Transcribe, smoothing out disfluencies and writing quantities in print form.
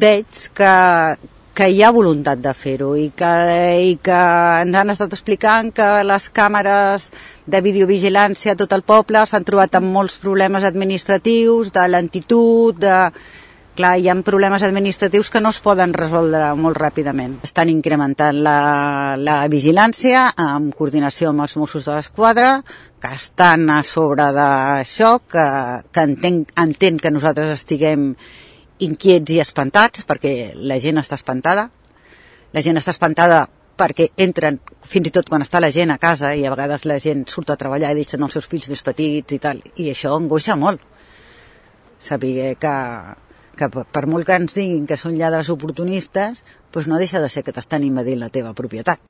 veig que hi ha voluntat de fer-ho i que ens han estat explicant que les càmeres de videovigilància a tot el poble s'han trobat amb molts problemes administratius, de lentitud, Clar, hi ha problemes administratius que no es poden resoldre molt ràpidament. Estan incrementant la vigilància en coordinació amb els Mossos d'Esquadra, que estan a sobre d'això, que entenc que nosaltres estiguem inquiets i espantats, perquè la gent està espantada. La gent està espantada perquè entren, fins i tot quan està la gent a casa, i a vegades la gent surt a treballar i deixen els seus fills més petits i tal, i això angoixa molt. Saber que per molt que ens diguin que són lladres oportunistes, doncs no deixa de ser que t'estan invadint la teva propietat.